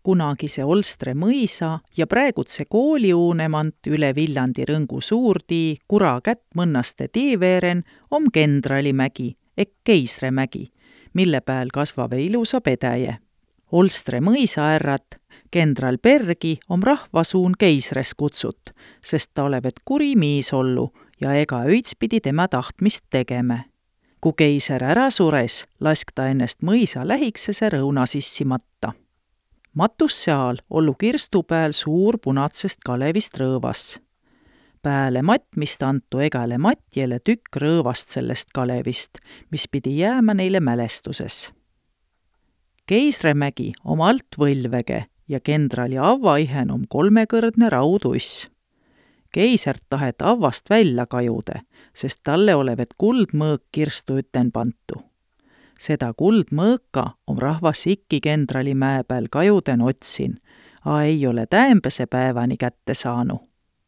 kunagise Olstre mõisa ja praegutse kooliuunemant üle Viljandi Rõngu suurtii Kura kätt mõnnaste tiiveeren om Kendralimägi ehk Keisremägi, mille pääl kasvave ilusa pedäje. Olstre mõisaärrat Kendral Bergi om rahvasuun Keisres kutsut, sest ta olevat kuri miis ollu ja ega öits pidi tema tahtmist tegeme. Ku keiser ära sures, lask ta ennest mõisa lähiksese rõuna sissimatta. Matus seal ollu kirstu pääl suur punatsest kalevist rõõvas. Pääle matmist antu egale matjele tükk rõõvast sellest kalevist, mis pidi jäämä neile mälestuses. Keisremägi om alt võlvege ja kendrali avvaihen om 3-kõrdne rauduss. Keisert tahet avvast välja kajude, sest talle olevat kuldmõõk kirstu üten pantu. Seda kuldmõõka om rahvas ikki Kendrali mäe pääl kajuden otsin, a ei ole täämbese päevani kätte saanu.